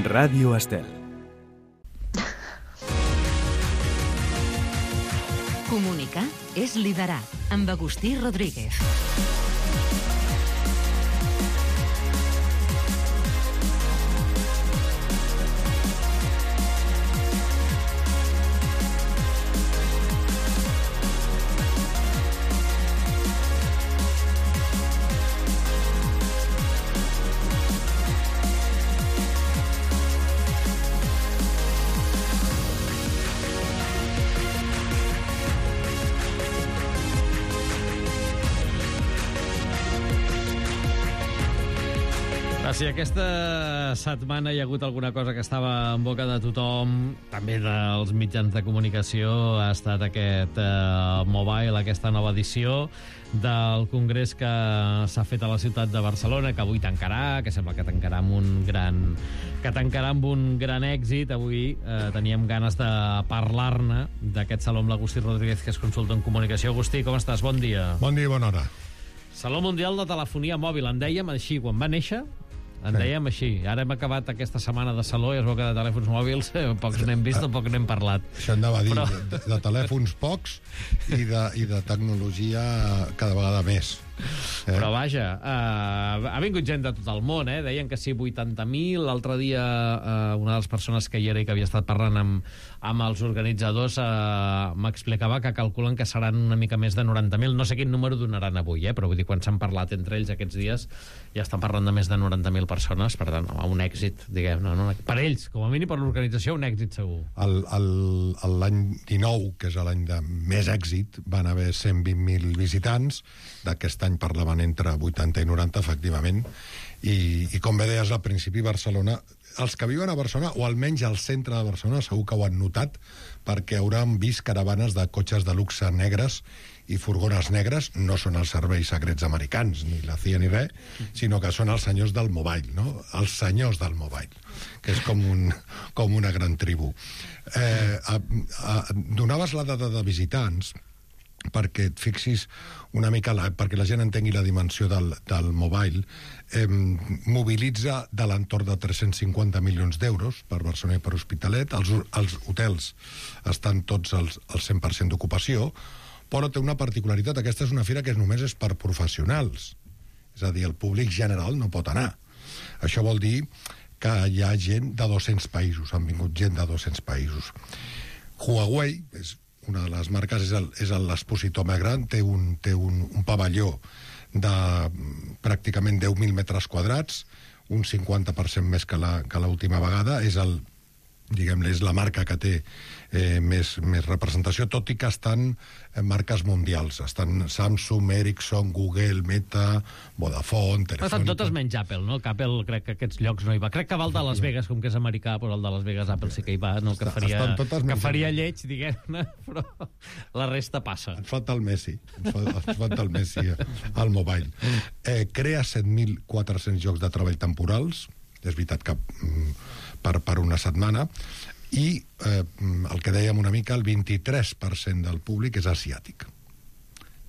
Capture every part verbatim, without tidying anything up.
Ràdio Estel. Comunicar és liderar, amb Agustí Rodríguez. Si aquesta setmana hi ha hagut alguna cosa que estava en boca de tothom, també dels mitjans de comunicació, ha estat aquest eh, Mobile, aquesta nova edició del congrés que s'ha fet a la ciutat de Barcelona, que avui tancarà, que sembla que tancarà amb un gran, que tancarà amb un gran èxit. Avui eh, teníem ganes de parlar-ne d'aquest saló amb l'Agustí Rodríguez, que és consulta en comunicació. Agustí, com estàs? Bon dia. Bon dia i bona hora. Saló Mundial de Telefonia Mòbil, en dèiem així quan va néixer. En dèiem així. Ara hem acabat aquesta setmana de saló i es veu que de telèfons mòbils eh, pocs n'hem vist o poc n'hem parlat. Això anava a dir, Però... de, de telèfons pocs i de, i de tecnologia cada vegada més. Eh? Però vaja, uh, ha vingut gent de tot el món, eh? Deien que sí, vuitanta mil. L'altre dia uh, una de les persones que hi era i que havia estat parlant amb, amb els organitzadors uh, m'explicava que calculen que seran una mica més de noranta mil. No sé quin número donaran avui, eh? Però vull dir, quan s'han parlat entre ells aquests dies ja estan parlant de més de noranta mil persones, per tant, un èxit, diguem, no, no, per ells, com a mínim per l'organització, un èxit segur. L'any dinou, que és l'any de més èxit, van haver cent vint mil visitants. D'aquest any parlaven entre vuitanta i noranta, efectivament, i, i com bé deies al principi, Barcelona, els que viuen a Barcelona, o almenys al centre de Barcelona, segur que ho han notat, perquè hauran vist caravanes de cotxes de luxe negres i furgones negres. No són els serveis secrets americans, ni la C I A ni res, sinó que són els senyors del mobile, no? Els senyors del mobile, que és com, un, com una gran tribu. Eh, a, a, donaves la dada de visitants perquè et fixis una mica, la, perquè la gent entengui la dimensió del, del mobile. Eh, mobilitza de l'entorn de tres-cents cinquanta milions d'euros per Barcelona i per Hospitalet. Els, els hotels estan tots al cent per cent d'ocupació, però té una particularitat. Aquesta és una fira que només és per professionals. És a dir, el públic general no pot anar. Això vol dir que hi ha gent de dos-cents països, han vingut gent de dos-cents països. Huawei, és una de les marques, és l'expositor més gran, té un, té un, un pavelló de pràcticament deu mil metres quadrats, un cinquanta per cent més que l'última vegada. És el, diguem-ne, és la marca que té eh, més, més representació, tot i que estan en marques mundials. Estan Samsung, Ericsson, Google, Meta, Vodafone, Telefónica... Estan totes menys Apple, no? Que Apple crec que aquests llocs no hi va. Crec que va el de Las Vegas, com que és americà, però el de Las Vegas Apple sí que hi va, no? Que faria, que faria lleig, diguem-ne, però la resta passa. Et falta el Messi, et falta, et falta el Messi al mobile. Eh, crea set mil quatre-cents llocs de treball temporals, és veritat que per, per una setmana, i eh, el que dèiem una mica, el vint-i-tres per cent del públic és asiàtic.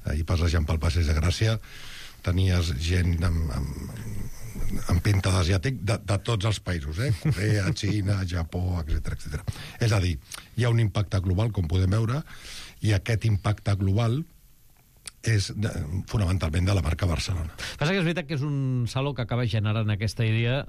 Ahir passejant pel Passeig de Gràcia tenies gent amb, amb, amb pinta d'asiàtic de, de tots els països, eh? Corea, Xina, Japó, etcètera, etcètera. És a dir, hi ha un impacte global, com podem veure, i aquest impacte global és de, fonamentalment de la marca Barcelona. Passa que és veritat que és un saló que acaba generant aquesta idea,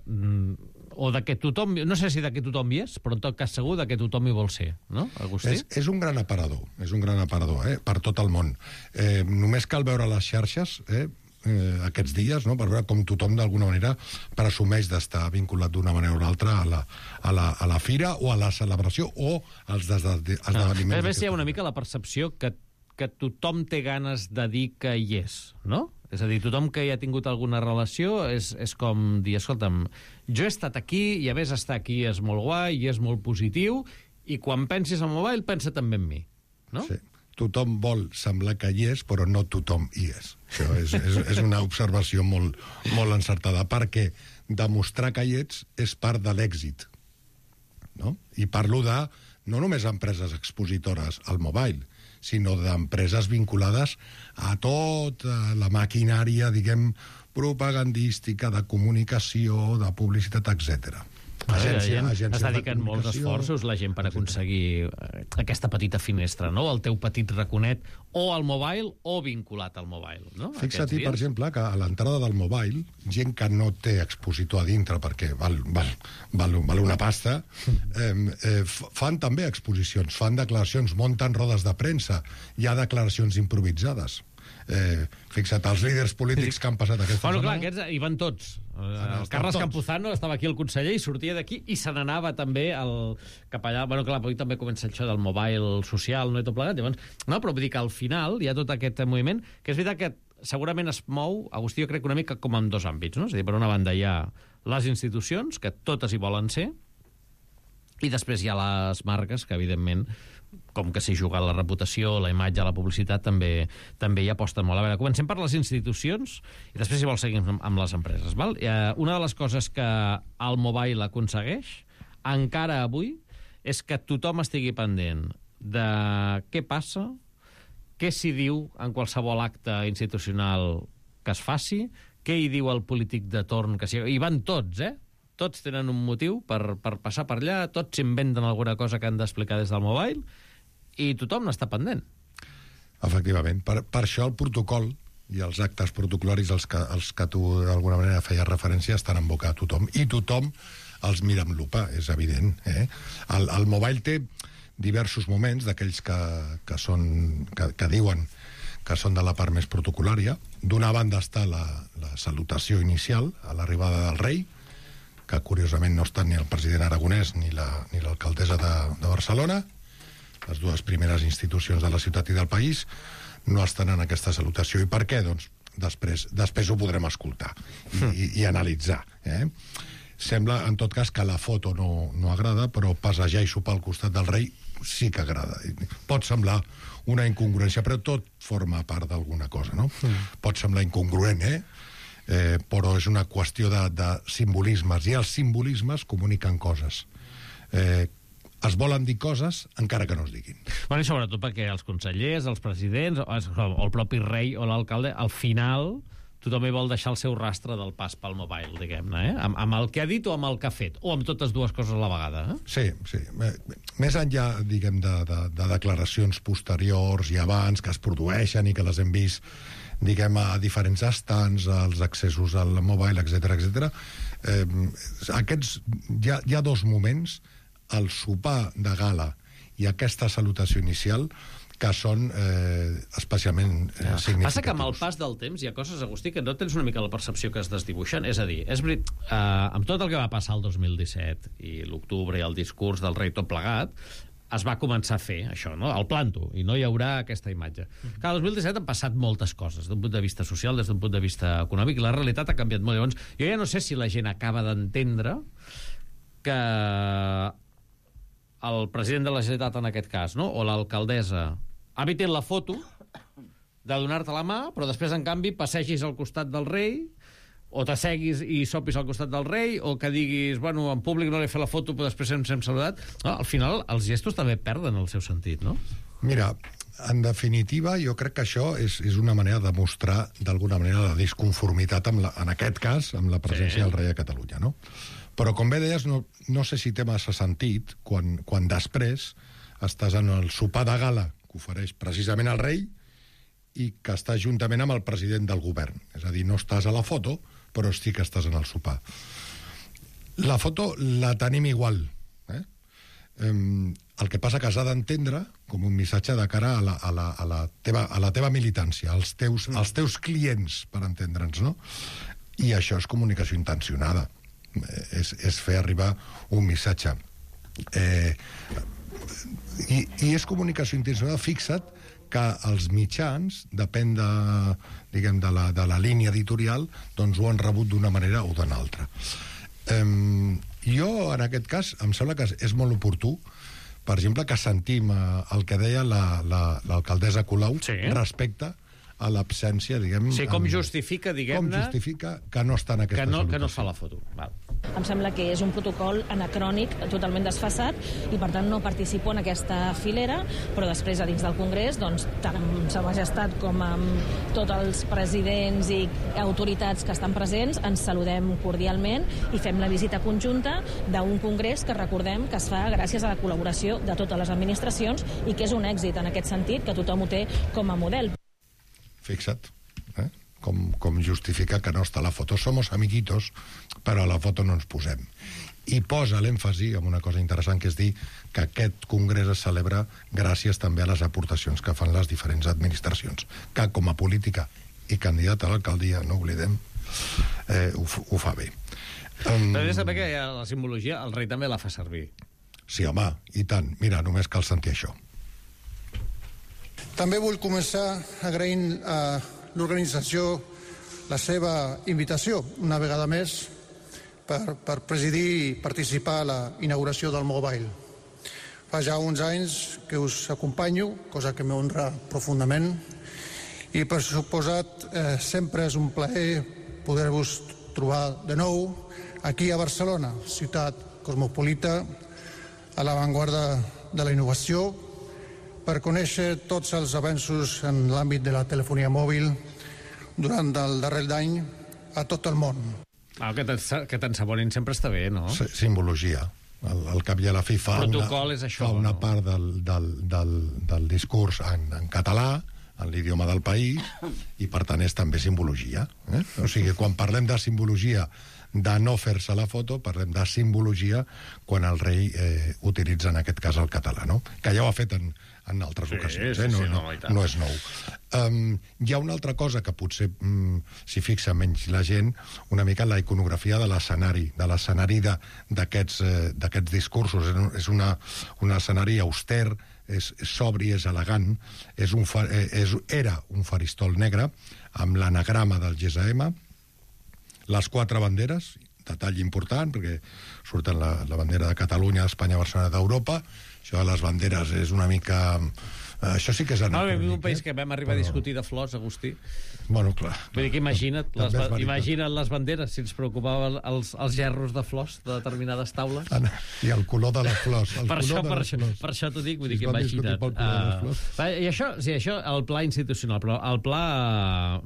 o de que tothom, no sé si de que tothom hi és, però en tot cas segur de que tothom hi vol ser, no, Agustí? És, és un gran aparador, és un gran aparador, eh, per tot el món. Eh, només cal veure les xarxes, eh, eh, aquests dies, no?, per veure com tothom d'alguna manera presumeix d'estar vinculat d'una manera o una altra a la, a, la, a la fira o a la celebració o als esdeveniments. A més, hi ha una mica la percepció que que tothom té ganes de dir que hi és, no? És a dir, tothom que hi ha tingut alguna relació és, és com dir, escolta'm, jo he estat aquí i a més estar aquí és molt guai i és molt positiu i quan pensis en mobile pensa també en mi, no? Sí. Tothom vol semblar que hi és, però no tothom hi és. Això és, és, és una observació molt, molt encertada, perquè demostrar que hi ets és part de l'èxit, no? I parlo de no només empreses expositores al mobile, sinó d'empreses vinculades a tota la maquinària, diguem, propagandística, de comunicació, de publicitat, etcètera. Agència, gent agència es dediquen de molts esforços, la gent, per aconseguir aquesta petita finestra, no? El teu petit raconet, o al mobile o vinculat al mobile, no? Fixa-t'hi, per exemple, que a l'entrada del mobile, gent que no té expositor a dintre perquè val, val, val, val una pasta, eh, eh, fan també exposicions, fan declaracions, munten rodes de premsa, hi ha declaracions improvisades. Eh, fixa't, els líders polítics que han passat aquesta bueno, setmana... clar, aquests hi van tots. El Carles tots. Campuzano estava aquí el conseller i sortia d'aquí i se n'anava també el, cap allà. Bueno, clar, avui també comença això del mobile social, no i tot plegat. Llavors, no, però vull dir que al final hi ha tot aquest moviment, que és veritat que segurament es mou, Agustí, jo crec que una mica com en dos àmbits, no? És a dir, per una banda hi ha les institucions, que totes hi volen ser, i després hi ha les marques, que evidentment, com que s'hi juga la reputació, la imatge, la publicitat, també també hi aposten molt. A veure, comencem per les institucions i després, si vols, seguim amb les empreses. Val? Eh, una de les coses que el mobile aconsegueix, encara avui, és que tothom estigui pendent de què passa, què s'hi diu en qualsevol acte institucional que es faci, què hi diu el polític de torn que sigui... I van tots, eh? Tots tenen un motiu per, per passar per allà, tots s'inventen alguna cosa que han d'explicar des del mobile, i tothom n'està pendent. Efectivament. Per, per això el protocol i els actes protocolaris als que, als que tu d'alguna manera feies referència estan en boca a tothom, i tothom els mira amb lupa, és evident. Eh? El, el mobile té diversos moments d'aquells que, que, són, que, que diuen que són de la part més protocolària. D'una banda està la, la salutació inicial a l'arribada del rei, que curiosament no estan ni el president aragonès ni l'alcaldessa la, ni de, de Barcelona. Les dues primeres institucions de la ciutat i del país no estan en aquesta salutació. I per què? Doncs després, després ho podrem escoltar i, i, i analitzar. Eh? Sembla, en tot cas, que la foto no, no agrada, però passejar i sopar al costat del rei sí que agrada. Pot semblar una incongruència, però tot forma part d'alguna cosa, no? Mm. Pot semblar incongruent, eh? Eh, però és una qüestió de, de simbolismes, i els simbolismes comuniquen coses. Eh, es volen dir coses encara que no es diguin. Bueno, i sobretot perquè els consellers, els presidents, o el propi rei o l'alcalde, al final tothom hi vol deixar el seu rastre del pas pel mobile, diguem-ne, eh? Amb, amb el que ha dit o amb el que ha fet, o amb totes dues coses a la vegada. Eh? Sí, sí. Més enllà, diguem, de, de, de declaracions posteriors i abans que es produeixen i que les hem vist, diguem, a diferents estants, als accessos al mobile, etcètera, etcètera. Eh, aquests, hi ha, hi ha dos moments, el sopar de gala i aquesta salutació inicial, que són eh, especialment eh, significatius. Passa que amb el pas del temps hi ha coses, Agustí, que no tens una mica la percepció que es desdibuixen. És a dir, és verit, eh, amb tot el que va passar el dos mil disset i l'octubre i el discurs del rei tot plegat, es va començar a fer això, no? El planto, i no hi haurà aquesta imatge. Mm-hmm. Clar, el dos mil disset han passat moltes coses, d'un punt de vista social, des d'un punt de vista econòmic, i la realitat ha canviat molt. Llavors, jo ja no sé si la gent acaba d'entendre que el president de la Generalitat, en aquest cas, no? O l'alcaldessa, evitin la foto de donar-te la mà, però després, en canvi, passegis al costat del rei, o t'asseguis i sopis al costat del rei, o que diguis, bueno, en públic no li he fet la foto, però després ens hem saludat. No, al final, els gestos també perden el seu sentit, no? Mira, en definitiva, jo crec que això és, és una manera de mostrar, d'alguna manera, la disconformitat, amb la, en aquest cas, amb la presència sí. del rei a Catalunya, no? Però, com bé deies, no, no sé si té massa sentit quan, quan després estàs en el sopar de gala que ofereix precisament el rei i que estàs juntament amb el president del govern. És a dir, no estàs a la foto, però sí que estàs en el sopar. La foto la tenim igual. Eh? Um, el que passa que has d'entendre com un missatge de cara a la, a la, a la, teva, a la teva militància, als teus, als teus clients, per entendre'ns, no? I això és comunicació intencionada. És, és fer arribar un missatge. Eh, i, I és comunicació intencionada, fixa't, que els mitjans, depèn de, diguem, de, la, de la línia editorial, doncs ho han rebut d'una manera o d'una altra. Um, jo, en aquest cas, em sembla que és molt oportú, per exemple, que sentim uh, el que deia l'alcaldessa la, Colau sí. respecte a l'absència, diguem... Sí, com en, justifica, diguem-ne... Com justifica que no està en aquesta que no, salutació. Que no es fa la foto. Val. Em sembla que és un protocol anacrònic, totalment desfasat, i per tant no participo en aquesta filera, però després a dins del Congrés, doncs, tant amb Sa Majestat com amb tots els presidents i autoritats que estan presents, ens saludem cordialment i fem la visita conjunta d'un Congrés que recordem que es fa gràcies a la col·laboració de totes les administracions i que és un èxit en aquest sentit, que tothom ho té com a model. Fixa't, eh? Com, com justifica que no està la foto. Somos amiguitos, però a la foto no ens posem. I posa l'èmfasi en una cosa interessant, que és dir que aquest congrés es celebra gràcies també a les aportacions que fan les diferents administracions, que com a política i candidat a l'alcaldia, no oblidem, eh, ho, ho fa bé. Um, Però és també que la simbologia el rei també la fa servir. Sí, home, i tant. Mira, només cal sentir això. També vull començar agraint a l'organització la seva invitació, una vegada més, per, per presidir i participar a la inauguració del Mobile. Fa ja uns anys que us acompanyo, cosa que m'honra profundament, i per suposat eh, sempre és un plaer poder-vos trobar de nou aquí a Barcelona, ciutat cosmopolita, a l'avantguarda de la innovació, per conèixer tots els avenços en l'àmbit de la telefonia mòbil durant el darrer any a tot el món. Ah, que t'ensabonin sempre està bé, no? S Simbologia. El, el cap i a la fi fa protocol una, és això, fa una no? part del, del, del, del discurs en, en català, en l'idioma del país, i per tant és també simbologia. Eh? O sigui, quan parlem de simbologia de no fer-se la foto, parlem de simbologia quan el rei eh, utilitza en aquest cas el català, no? Que ja ho ha fet en, en altres sí, ocasions, sí, eh? no, sí, no, no, no és nou. Um, hi ha una altra cosa que potser um, s'hi fixa menys la gent, una mica la iconografia de l'escenari, de l'escenari d'aquests eh, discursos. És una, un escenari auster, és, és sobri, és elegant, és un, és, era un faristol negre amb l'anagrama del G S M, les quatre banderes, detall important, perquè surten la, la bandera de Catalunya, d'Espanya, Barcelona, d'Europa. Això de les banderes és una mica... Això sí que és anacrònic. No, un país que vam arribar però... a discutir de flors, Agustí. Bueno, clar. Vull dir que imagina't les, imagina't les banderes, si ens preocupaven els, els gerros de flors de determinades taules. Ana, I el color de les flors. El per, color això, de per, les això, flors. per això t'ho dic, vull dir si que imagina't. Uh, I això, sí, això, el pla institucional, però el pla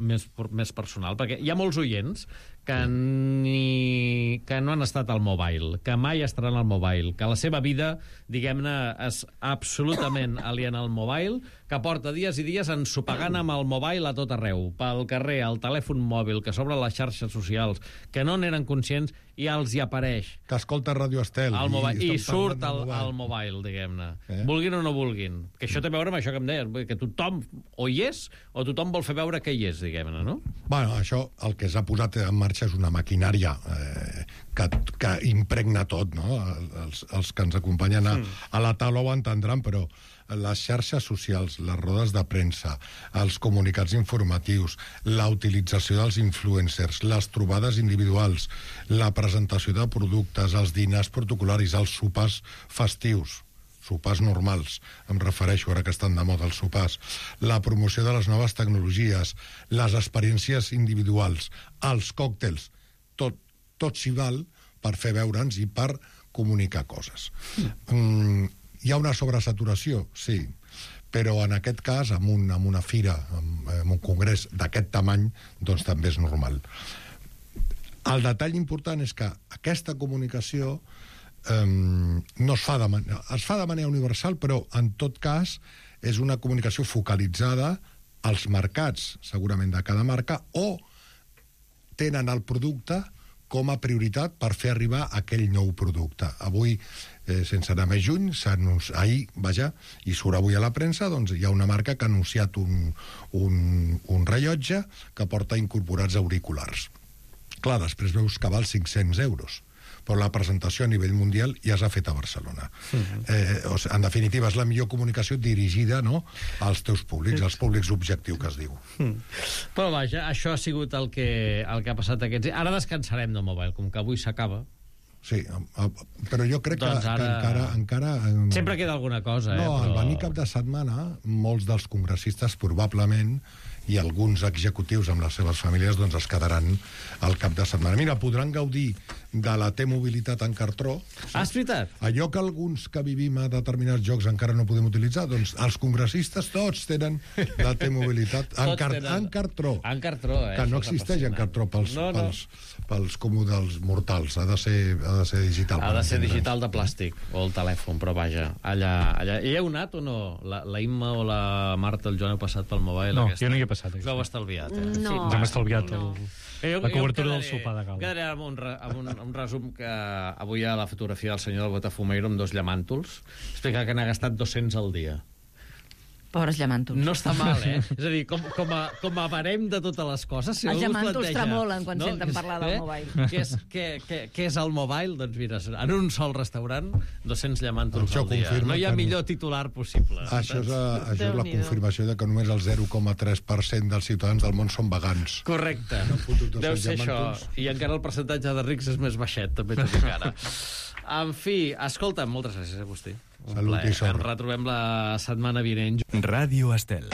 més, més personal, perquè hi ha molts oients que, ni, que no han estat al mobile, que mai estaran al mobile, que la seva vida, diguem-ne, és absolutament aliena al mobile, que porta dies i dies ensopegant amb el mobile a tot arreu, pel carrer, al telèfon mòbil, que s'obre les xarxes socials, que no n'eren conscients, i els hi apareix. Que escolta Ràdio Estel. I, i, i surt al mobile, al mobile diguem-ne. Eh? Vulguin o no vulguin. Que això té a veure amb això que em deies, que tothom o hi és, o tothom vol fer veure que hi és, diguem-ne, no? Bueno, això, el que s'ha posat en marxa és una maquinària eh, que, que impregna tot, no? Els, els que ens acompanyen a, a la taula ho entendran, però les xarxes socials, les rodes de premsa, els comunicats informatius, la utilització dels influencers, les trobades individuals, la presentació de productes, els dinars protocolaris, els sopars festius, sopars normals, em refereixo ara que estan de moda els sopars, la promoció de les noves tecnologies, les experiències individuals, els còctels, tot, tot s'hi val per fer veure'ns i per comunicar coses. Mm, hi ha una sobresaturació, sí, però en aquest cas, amb, un, amb una fira, amb, amb un congrés d'aquest tamany, doncs també és normal. El detall important és que aquesta comunicació eh, no es fa, de man es fa de manera universal, però en tot cas és una comunicació focalitzada als mercats, segurament de cada marca, o tenen el producte com a prioritat per fer arribar aquell nou producte. Avui, eh, sense anar més juny, ahir, vaja, i surt avui a la premsa, doncs hi ha una marca que ha anunciat un, un, un rellotge que porta incorporats auriculars. Clar, després veus que val cinc-cents euros, però la presentació a nivell mundial ja s'ha fet a Barcelona. Uh-huh. eh, o sigui, en definitiva, és la millor comunicació dirigida, no?, als teus públics, als públics objectiu que es diu. Uh-huh. Però vaja, això ha sigut el que, el que ha passat aquests dies. Ara descansarem del mobile, com que avui s'acaba. Sí, però jo crec doncs que, ara... que encara, encara... Sempre queda alguna cosa, no, eh? No, però... al venir cap de setmana, molts dels congressistes probablement i alguns executius amb les seves famílies doncs es quedaran al cap de setmana. Mira, podran gaudir de la T-mobilitat en cartró. Ah, és veritat? Allò que alguns que vivim a determinats jocs encara no podem utilitzar, doncs els congressistes tots tenen la T-mobilitat en, car tenen... en cartró. En cartró, eh? Que no existeix en cartró pels, no, no. pels, pels còmodes mortals. Ha de ser, ha de ser digital. Ha de ser digital de plàstic, o el telèfon, però vaja, allà... allà. Hi heu anat o no? La, la Imma o la Marta, el Joan, heu passat pel mobile? No, aquesta? jo no hi he passat. Us heu estalviat, eh? No. Ens hem estalviat el... Eh, jo, la cobertura quedaré, del sopar de gala. Quedaré amb un, amb, un, amb un resum que avui hi ha la fotografia del senyor del Botafumeiro amb dos llamàntols. Explica que n'ha gastat dos-cents al dia. Pobres llamàntols. No està mal, eh? És a dir, com, com, a, com a barem de totes les coses... Si els llamàntols planteja, tremolen quan no? senten parlar del eh? mobile. Què és, què, què, què és el mobile? Doncs mira, en un sol restaurant, dos-cents llamàntols al dia. No hi ha millor titular possible. Això és, a, això és la confirmació de que només el zero coma tres per cent dels ciutadans del món són vegans. Correcte. Deu ser això. I encara el percentatge de rics és més baixet, també t'ho dic ara. En fi, escolta, moltes gràcies, Agustí. Un Salut plaer. i sort. Ens retrobem la setmana vinent. Ràdio Estel.